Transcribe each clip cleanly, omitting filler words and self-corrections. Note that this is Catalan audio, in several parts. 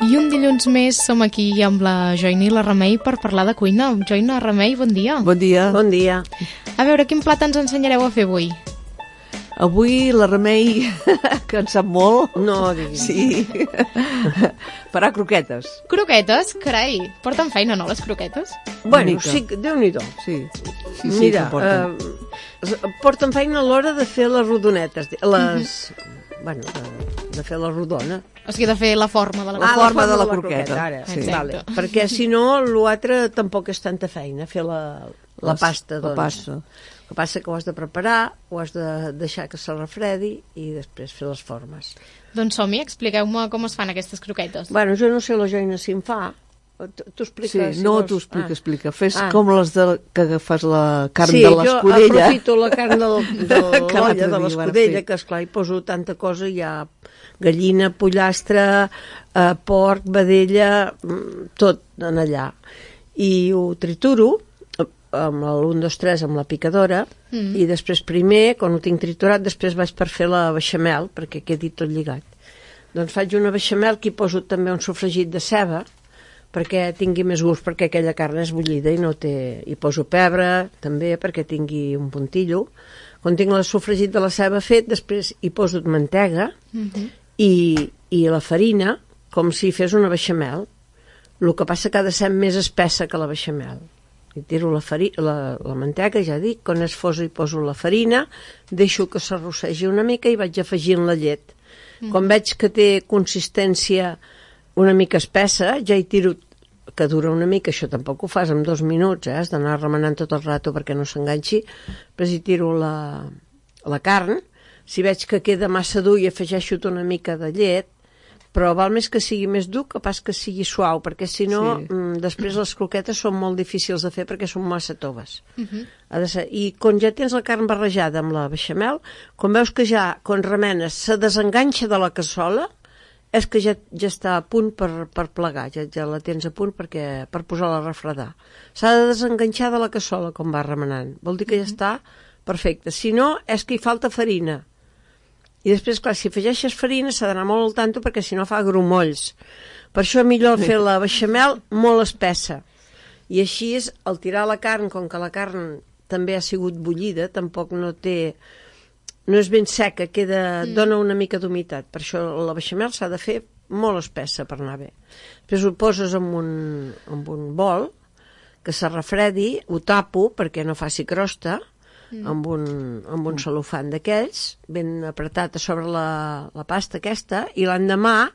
I un dilluns més som aquí amb la Joina i la Remei per parlar de cuina. Joina, Remei, bon dia. Bon dia. Bon dia. A veure, quin plat ens ensenyareu a fer avui? Avui la Remei, que en sap molt, No, digui'm. sí, farà croquetes. Croquetes? Carai, porten feina, no, les croquetes? Bueno, mica. sí, Déu-n'hi-do. Sí, sí, Mira, que porten. porten feina a l'hora de fer les rodonetes, bueno, de fer la rodona. O sigui, de fer la forma de la La croqueta. forma de la croqueta. Ara, Sí. vale. Perquè si no, l'altre tampoc és tanta feina, fer la pasta, doncs. La pasta. El que passa que ho has de preparar, ho has de deixar que se refredi i després fer les formes. Doncs som-hi, expliqueu-me com es fan aquestes croquetes. Bueno, jo no sé la Joina si en fa. Tu expliques, Sí, si no, vols. tu explica. Fes Ah. com les que agafes la carn Sí, de l'escudella. jo aprofito la carn de l'olla, Que l'altre de dia l'escudella, vas fer. que esclar, hi poso tanta cosa, hi ha gallina, pollastre, porc, vedella, tot en allà. I ho trituro amb l'1, 2, 3 amb la picadora, i després primer, quan ho tinc triturat, després vaig per fer la beixamel, perquè quedi tot lligat. Doncs faig una beixamel que hi poso també un sofregit de ceba, perquè tingui més gust, perquè aquella carn és bullida i no té... Hi poso pebre, també, perquè tingui un puntillo. Quan tinc el sofregit de la ceba fet, després hi poso mantega i la farina, com si fes una beixamel. El que passa que ha de ser més espessa que la beixamel. I tiro la mantega, ja dic, quan és fosa hi poso la farina, deixo que s'arrossegi una mica i vaig afegint la llet. Quan veig que té consistència una mica espessa, ja hi tiro, que dura una mica, això tampoc ho fas en 2 minuts, has d'anar remenant tot el rato perquè no s'enganxi, però hi tiro la carn, si veig que queda massa dur i afegeixo una mica de llet, però val més que sigui més dur que pas que sigui suau, perquè si no, després les croquetes són molt difícils de fer perquè són massa toves. Ha de ser. I quan ja tens la carn barrejada amb la beixamel, quan veus que ja, quan remenes, se desenganxa de la cassola, és que ja està a punt per plegar, ja la tens a punt per posar-la a refredar. S'ha de desenganxar de la cassola quan va remenant. Vol dir que ja està perfecte. Si no, és que hi falta farina. I després, clar, si afegeixes farina s'ha d'anar molt al tanto perquè si no fa grumolls. Per això millor fer la beixamel molt espessa. I així és, al tirar la carn, com que la carn també ha sigut bullida, tampoc no és ben seca, dona una mica d'humitat. Per això la beixamel s'ha de fer molt espessa per anar bé. Després ho poses en un bol que se refredi, ho tapo perquè no faci crosta, amb un celofan d'aquells, ben apretat a sobre la pasta aquesta, i l'endemà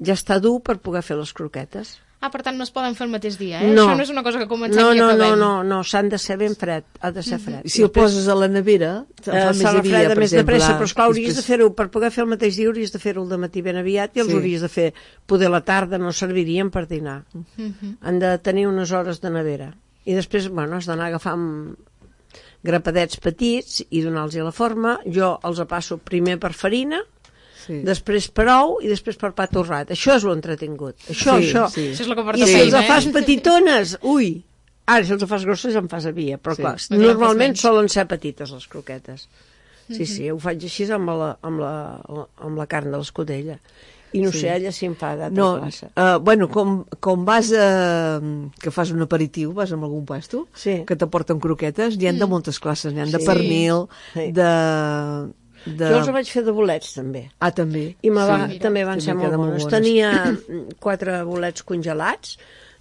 ja està dur per poder fer les croquetes. Ah, per tant, no es poden fer el mateix dia, eh? No. Això no és una cosa que comencem i acabem. No, s'han de ser ben fred, ha de ser fred. I si el poses a la nevera, fa més se refreda més de pressa, però esclar, hauries de fer-ho, per poder fer el mateix dia hauries de fer-ho al dematí ben aviat i els hauries de fer poder a la tarda, no servirien per dinar. Han de tenir unes hores de nevera. I després, bueno, has d'anar agafant grapadets petits i donar-los la forma. Jo els passo primer per farina, després per ou i després per pa torrat. Això és l'entretingut. Això. Això és el que porta I si feina, els fas petitones, ui! Ara, si els fas grosses ja en fas havia, però clar, normalment solen ser petites les croquetes. Sí, ho faig així amb la carn de l'escudella. I no sé, ella si em fa d'altra classe. Bueno, com vas que fas un aperitiu, vas amb algun puesto, que t'aporten croquetes, n'hi ha de moltes classes, n'hi ha de pernil, Jo els vaig fer de bolets, també. Ah, també? I també van ser molt bons. Tenia 4 bolets congelats,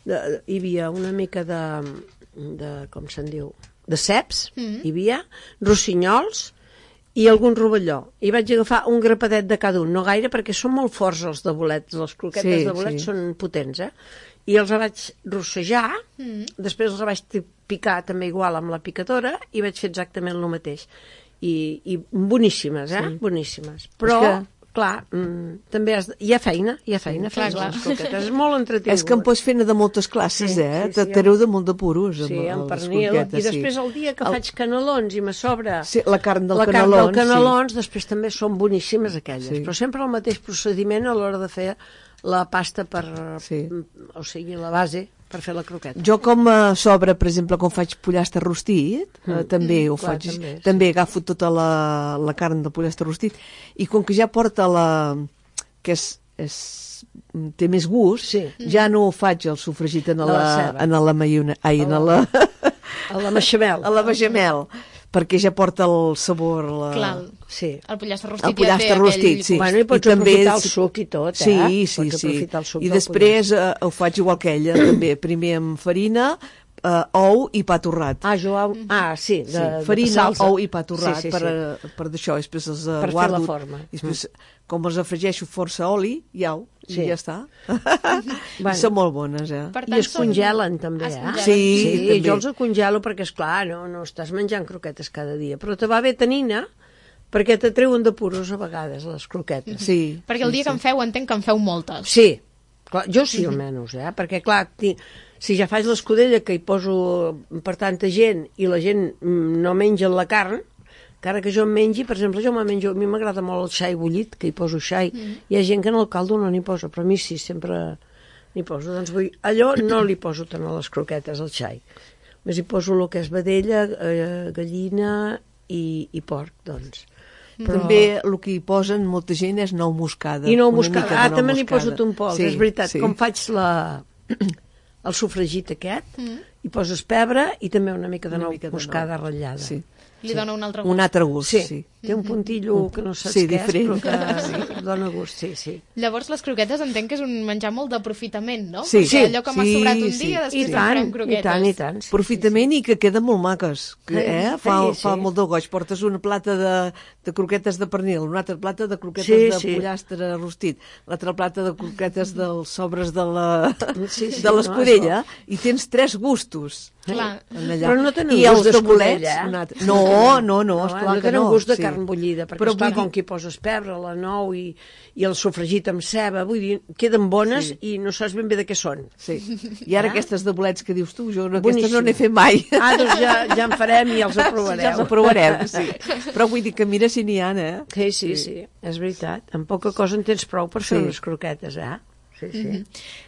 hi havia una mica de com se'n diu, de ceps, hi havia rossinyols i algun rovelló. I vaig agafar un grapadet de cada un, no gaire, perquè són molt forts els de bolets, les croquetes de bolets són potents, i els vaig rossejar, després els vaig picar també igual amb la picadora i vaig fer exactament el mateix. I boníssimes, boníssimes. Però, clar, també hi ha feina fer les croquetes, és molt entretingut. És que en pots fer de moltes classes, t'areu de molt de puros. Sí, amb pernil, i després el dia que faig canelons i me sobra la carn del canelons, després també són boníssimes aquelles, però sempre el mateix procediment a l'hora de fer la pasta o sigui, la base per fer la croqueta. Jo com a sobre, per exemple, quan faig pollastre rostit, també ho faig, també agafo tota la carn del pollastre rostit, i com que ja porta que és té més gust, ja no faig el sofregit en la maionesa, a la beixamel. A la beixamel, perquè ja porta el sabor. Clar, sí. El pollastre rostit el pollastre rostit, sí. Bueno, i pots aprofitar el suc i tot, Sí. I després ho faig igual que ella, també. Primer amb farina, ou i pa torrat. Farina, ou i pa torrat per d'això, després els guardo. Per fer la forma. I després, com els afregeixo força oli, i ja està. Són molt bones, I es congelen també, Sí, jo els congelo perquè, esclar, no estàs menjant croquetes cada dia, però te va bé tenina perquè te treuen de puros a vegades les croquetes. Sí. Perquè el dia que en feu, entenc que en feu moltes. Sí, clar, jo sí almenys, perquè clar, si ja faig l'escudella que hi poso per tanta gent i la gent no menja la carn, encara que jo em mengi, per exemple, a mi m'agrada molt el xai bullit, que hi poso xai. Hi ha gent que en el caldo no n'hi posa, però a mi sí, sempre n'hi poso. Doncs allò no li poso tant a les croquetes, al xai. Més hi poso el que és vedella, gallina i porc, doncs. També el que hi posen molta gent és nou moscada. I nou moscada, també n'hi poso un poc, és veritat. Com faig el sofregit aquest, hi poses pebre i també una mica de nou moscada ratllada. Sí. Li dona un altre gust. Un altre gust, sí. Té un puntillo que no saps què és, però que dona gust, sí. Llavors, les croquetes entenc que és un menjar molt d'aprofitament, no? Sí. Perquè allò que m'ha sobrat un dia, després farem croquetes. I tant. Aprofitament i que queden molt maques. Fa molt de goig. Portes una plata de croquetes de pernil, una altra plata de croquetes de pollastre rostit, l'altra plata de croquetes dels sobres de l'escudella, i tens 3 gustos. Clar. Però no tenen gust d'escudella, No, esclar que no. No tenen gust de carn bullida, perquè esclar, com que hi poses pebre, la nou i el sofregit amb ceba, vull dir, queden bones i no saps ben bé de què són. Sí. I ara aquestes de bolets que dius tu, jo aquestes no n'he fet mai. Doncs ja en farem i els aprovareu. Ja els aprovarem, sí. Però vull dir que mira si n'hi ha, Sí, és veritat. En poca cosa en tens prou per fer unes croquetes, Sí.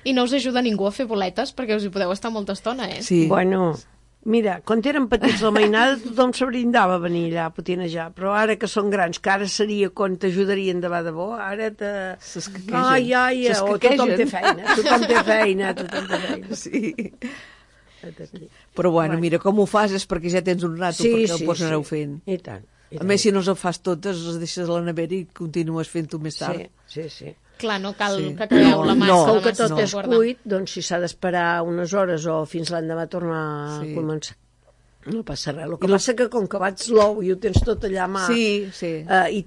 I no us ajuda ningú a fer boletes perquè us hi podeu estar molta estona, Sí. Bueno, mira, quan érem petits la mainada tothom se brindava a venir allà a potinejar, però ara que són grans, que ara seria quan t'ajudarien de bo, ara tothom té feina. Sí. Però bueno, mira, com ho fas és perquè ja tens un rato perquè ho pots anar fent. I tant. A més, si no els fas totes, les deixes a la nevera i continues fent-ho més tard. Sí. Clar, no cal que acabeu la massa. Com que tot és cuit, doncs si s'ha d'esperar unes hores o fins l'endemà tornar a començar. No passa res. El que passa que com que vaig slow i ho tens tot allà a mà i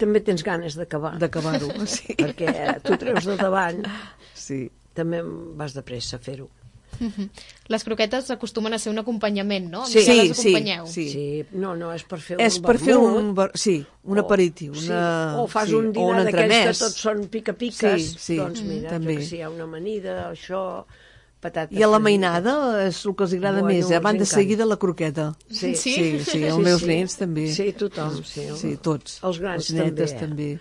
també tens ganes d'acabar-ho, sí. Perquè tu treus de davant, també vas de pressa a fer-ho. Les croquetes acostumen a ser un acompanyament, no? Sí. No, és per fer un vermut. Un aperitiu. O fas un dinar d'aquells que tots són pica-piques. Doncs mira, també. que si hi ha una amanida, això, patates... I a la mainada és el que els agrada més, van de seguida la croqueta. Sí, els meus nens també. Sí, tothom. Sí, tots. Els grans també.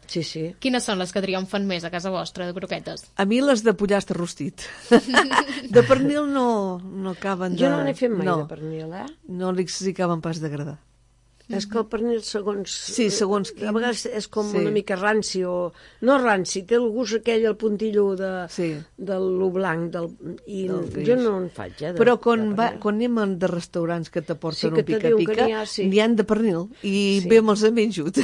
Sí. Quines són les que triomfen més a casa vostra de croquetes? A mi les de pollastre rostit. De pernil no acaben de... Jo no n'he fet mai de pernil, No li acaben pas d'agradar. És que el pernil, segons quin. A vegades és com una mica ranci, o no ranci, té el gust aquell, el puntillo de lo blanc, jo no en faig, Però quan anem de restaurants que t'aporten un pica-pica, n'hi han de pernil, i bé me'ls he menjut.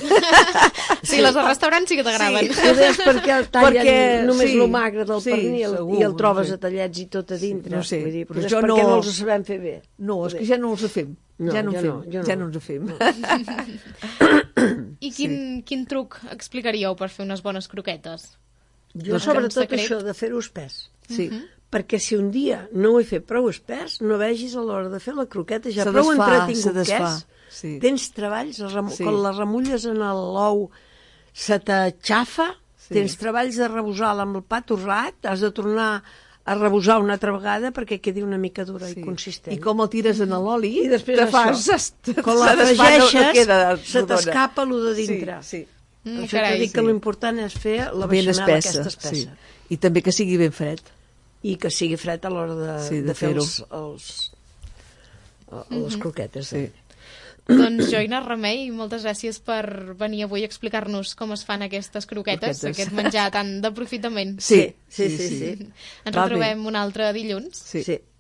Sí, les de restaurants sí que t'agraden. Ho deies perquè tallen només lo magre del pernil i el trobes a tallets i tot a dintre. No sé, però és perquè no els sabem fer bé. No, és que ja no els fem. Ja no ens ho fem. I quin truc explicaríeu per fer unes bones croquetes? Jo sobretot això de fer-ho espès. Perquè si un dia no ho he fet prou espès, no vegis a l'hora de fer la croqueta ja prou entretingut que és. Tens treballs, quan la remulles en l'ou se t'aixafa, tens treballs de rebosar-la amb el pa torrat, has de tornar a rebosar una altra vegada perquè quedi una mica dura i consistent. I com el tires en l'oli, i després quan la fregeixes, se t'escapa el de dintre. Per això t'he dit que l'important és fer la beixamel aquesta espessa. I també que sigui ben fred. I que sigui fred a l'hora de fer les croquetes. Doncs Joina Remei, moltes gràcies per venir avui a explicar-nos com es fan aquestes croquetes, aquest menjar tan d'aprofitament. Sí. Ens retrobem un altre dilluns. Sí.